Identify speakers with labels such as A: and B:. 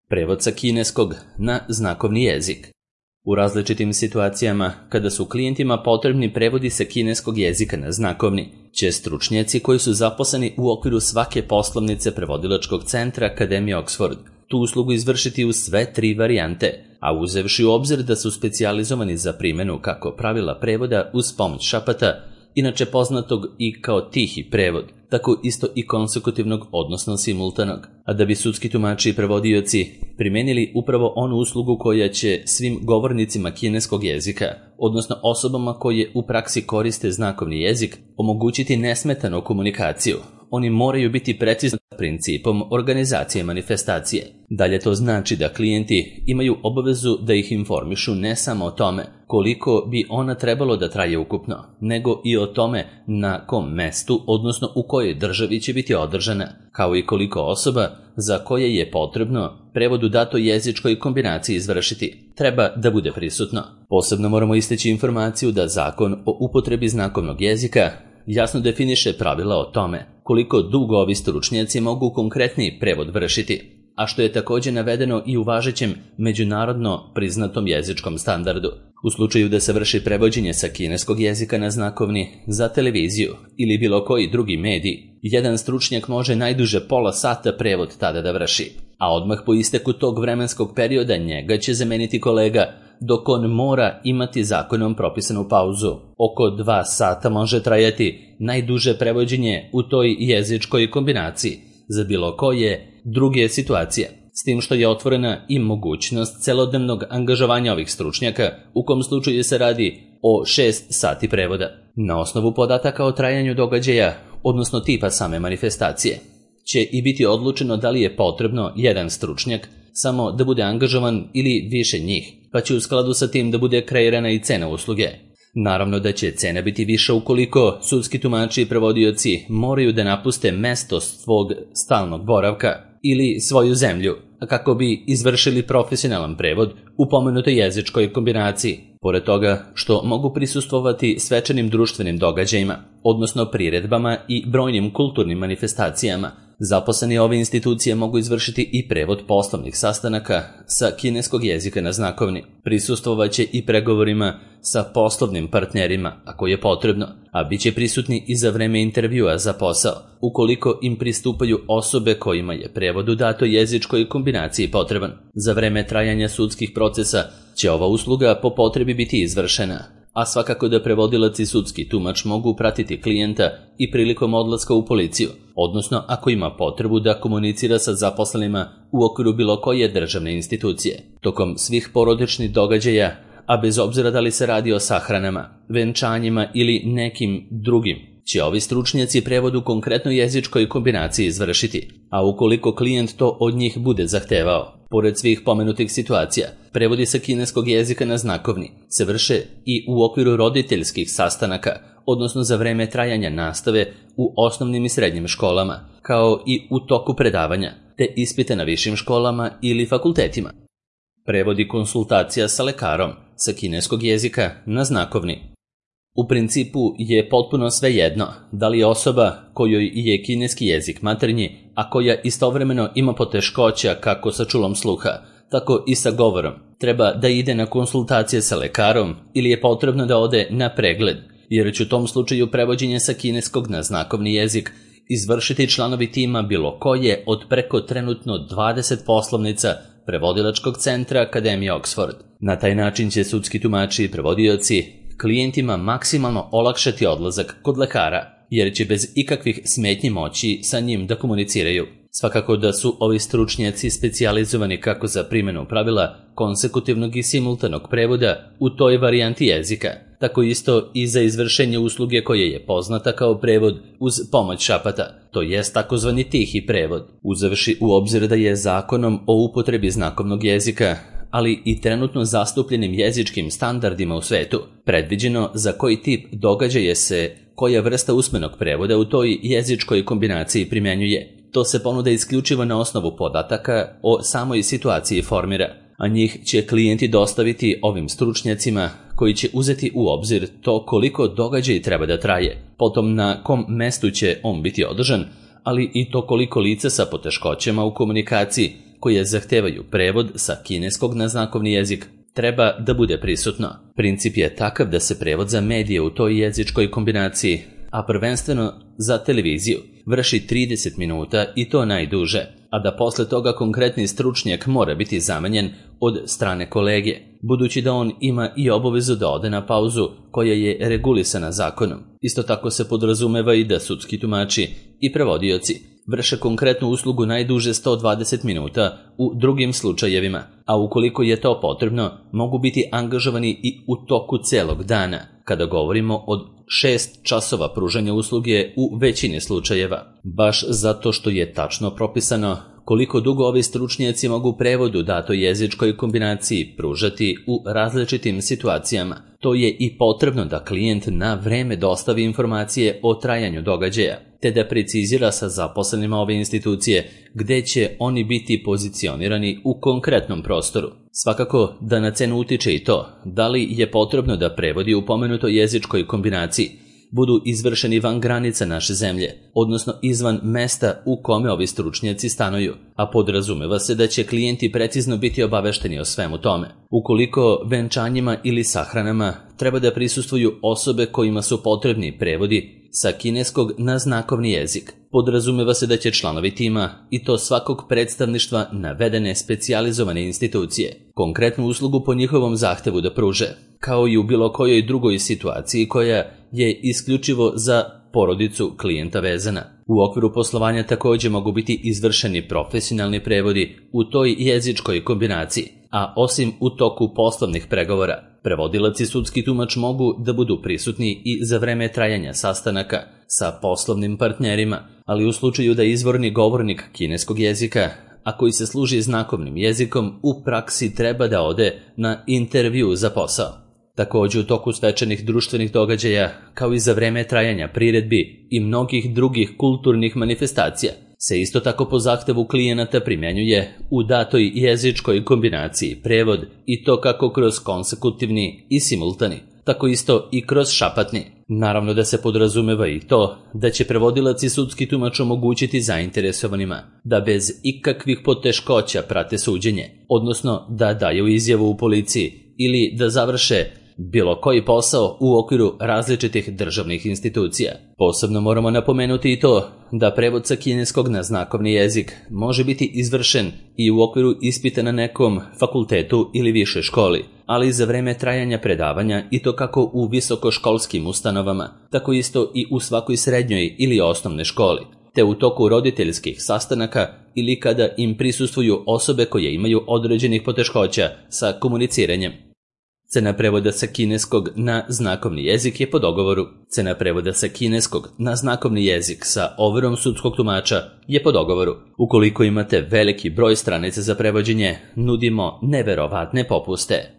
A: Prevod sa kineskog na znakovni jezik. U različitim situacijama, kada su klijentima potrebni prevodi sa kineskog jezika na znakovni, će stručnjaci koji su zaposleni u okviru svake poslovnice prevodilačkog centra Akademije Oxford tu uslugu izvršiti u sve 3 varijante, a uzevši u obzir da su specijalizovani za primjenu kako pravila prevoda uz pomoć šapata, inače poznatog i kao tihi prevod, tako isto i konsekutivnog, odnosno simultanog, a da bi sudski tumači i prevodioci primenili upravo onu uslugu koja će svim govornicima kineskog jezika, odnosno osobama koje u praksi koriste znakovni jezik, omogućiti nesmetanu komunikaciju. Oni moraju biti precizni principom organizacije manifestacije. Dalje to znači da klijenti imaju obavezu da ih informišu ne samo o tome koliko bi ona trebalo da traje ukupno, nego i o tome na kom mestu, odnosno u kojoj državi će biti održana, kao i koliko osoba za koje je potrebno prevod u datoj jezičkoj kombinaciji izvršiti treba da bude prisutno. Posebno moramo istaći informaciju da Zakon o upotrebi znakovnog jezika jasno definiše pravila o tome koliko dugo ovi stručnjaci mogu konkretni prevod vršiti, a što je također navedeno i u važećem međunarodno priznatom jezičkom standardu. U slučaju da se vrši prevođenje sa kineskog jezika na znakovni za televiziju ili bilo koji drugi medij, jedan stručnjak može najduže pola sata prevod tada da vrši, a odmah po isteku tog vremenskog perioda njega će zameniti kolega, dok on mora imati zakonom propisanu pauzu. Oko 2 sata može trajati najduže prevođenje u toj jezičkoj kombinaciji za bilo koje druge situacije, s tim što je otvorena i mogućnost celodnevnog angažovanja ovih stručnjaka, u kom slučaju se radi o 6 sati prevoda. Na osnovu podataka o trajanju događaja, odnosno tipa same manifestacije, će i biti odlučeno da li je potrebno jedan stručnjak samo da bude angažovan ili više njih, pa će u skladu sa tim da bude kreirana i cena usluge. Naravno da će cena biti viša ukoliko sudski tumači i prevodioci moraju da napuste mesto svog stalnog boravka ili svoju zemlju, kako bi izvršili profesionalan prevod u pomenutoj jezičkoj kombinaciji. Pored toga što mogu prisustvovati svečanim društvenim događajima, odnosno priredbama i brojnim kulturnim manifestacijama, zaposleni ove institucije mogu izvršiti i prevod poslovnih sastanaka sa kineskog jezika na znakovni. Prisustvovaće i pregovorima sa poslovnim partnerima, ako je potrebno, a bit će prisutni i za vreme intervjua za posao, ukoliko im pristupaju osobe kojima je prevod u datoj jezičkoj kombinaciji potreban. Za vreme trajanja sudskih procesa će ova usluga po potrebi biti izvršena, a svakako da prevodilac i sudski tumač mogu pratiti klijenta i prilikom odlaska u policiju, odnosno ako ima potrebu da komunicira sa zaposlenima u okviru bilo koje državne institucije. Tokom svih porodičnih događaja, a bez obzira da li se radi o sahranama, venčanjima ili nekim drugim, će ovi stručnjaci prevod u konkretnoj jezičkoj kombinaciji izvršiti, a ukoliko klijent to od njih bude zahtevao. Pored svih pomenutih situacija, prevodi sa kineskog jezika na znakovni se vrše i u okviru roditeljskih sastanaka, odnosno za vreme trajanja nastave u osnovnim i srednjim školama, kao i u toku predavanja, te ispite na višim školama ili fakultetima. Prevodi konsultacija sa lekarom sa kineskog jezika na znakovni. U principu je potpuno svejedno da li je osoba kojoj je kineski jezik maternji, a koja istovremeno ima poteškoća kako sa čulom sluha, tako i sa govorom, treba da ide na konsultacije sa lekarom ili je potrebno da ode na pregled, jer će u tom slučaju prevođenje sa kineskog na znakovni jezik izvršiti članovi tima bilo koje od preko trenutno 20 poslovnica prevodilačkog centra Akademije Oxford. Na taj način će sudski tumači i prevodioci klijentima maksimalno olakšati odlazak kod lekara, jer će bez ikakvih smetnji moći sa njim da komuniciraju. Svakako da su ovi stručnjaci specijalizovani kako za primjenu pravila konsekutivnog i simultanog prevoda u toj varijanti jezika, tako isto i za izvršenje usluge koje je poznata kao prevod uz pomoć šapata, to jest takozvani tihi prevod. Uzevši u obzir da je Zakonom o upotrebi znakovnog jezika, ali i trenutno zastupljenim jezičkim standardima u svetu, predviđeno za koji tip događaja se koja vrsta usmenog prevoda u toj jezičkoj kombinaciji primjenjuje. To se ponuda isključivo na osnovu podataka o samoj situaciji formira, a njih će klijenti dostaviti ovim stručnjacima koji će uzeti u obzir to koliko događaj treba da traje, potom na kom mestu će on biti održan, ali i to koliko lica sa poteškoćama u komunikaciji koje zahtevaju prevod sa kineskog na znakovni jezik treba da bude prisutno. Princip je takav da se prevod za medije u toj jezičkoj kombinaciji, a prvenstveno za televiziju, vrši 30 minuta i to najduže, a da posle toga konkretni stručnjak mora biti zamenjen od strane kolege, budući da on ima i obavezu da ode na pauzu koja je regulisana zakonom. Isto tako se podrazumeva i da sudski tumači i prevodioci vrše konkretnu uslugu najduže 120 minuta u drugim slučajevima, a ukoliko je to potrebno, mogu biti angažovani i u toku celog dana, kada govorimo od 6 časova pružanja usluge u većini slučajeva. Baš zato što je tačno propisano koliko dugo ovi stručnjaci mogu prevod u datoj jezičkoj kombinaciji pružati u različitim situacijama. To je i potrebno da klijent na vreme dostavi informacije o trajanju događaja, te da precizira sa zaposlenima ove institucije gde će oni biti pozicionirani u konkretnom prostoru. Svakako da na cenu utiče i to da li je potrebno da prevodi u pomenutoj jezičkoj kombinaciji budu izvršeni van granica naše zemlje, odnosno izvan mesta u kome ovi stručnjaci stanuju, a podrazumeva se da će klijenti precizno biti obavešteni o svemu tome. Ukoliko venčanjima ili sahranama treba da prisustvuju osobe kojima su potrebni prevodi sa kineskog na znakovni jezik, podrazumeva se da će članovi tima, i to svakog predstavništva navedene specijalizovane institucije, konkretnu uslugu po njihovom zahtevu da pruže, kao i u bilo kojoj drugoj situaciji koja je isključivo za porodicu klijenta vezana. U okviru poslovanja također mogu biti izvršeni profesionalni prevodi u toj jezičkoj kombinaciji, a osim u toku poslovnih pregovora, prevodilac i sudski tumač mogu da budu prisutni i za vreme trajanja sastanaka sa poslovnim partnerima, ali u slučaju da izvorni govornik kineskog jezika, a koji se služi znakovnim jezikom, u praksi treba da ode na intervju za posao. Također u toku svečanih društvenih događaja, kao i za vreme trajanja priredbi i mnogih drugih kulturnih manifestacija, se isto tako po zahtevu klijenata primjenjuje u datoj jezičkoj kombinaciji prevod, i to kako kroz konsekutivni i simultani, tako isto i kroz šapatni. Naravno da se podrazumeva i to da će prevodilac i sudski tumač omogućiti zainteresovanima da bez ikakvih poteškoća prate suđenje, odnosno da daju izjavu u policiji ili da završe bilo koji posao u okviru različitih državnih institucija. Posebno moramo napomenuti i to da prevod sa kineskog na znakovni jezik može biti izvršen i u okviru ispita na nekom fakultetu ili višoj školi, ali i za vreme trajanja predavanja, i to kako u visokoškolskim ustanovama, tako isto i u svakoj srednjoj ili osnovnoj školi, te u toku roditeljskih sastanaka ili kada im prisustvuju osobe koje imaju određenih poteškoća sa komuniciranjem. Cena prevoda sa kineskog na znakovni jezik je po dogovoru. Cena prevoda sa kineskog na znakovni jezik sa overom sudskog tumača je po dogovoru. Ukoliko imate veliki broj stranica za prevođenje, nudimo neverovatne popuste.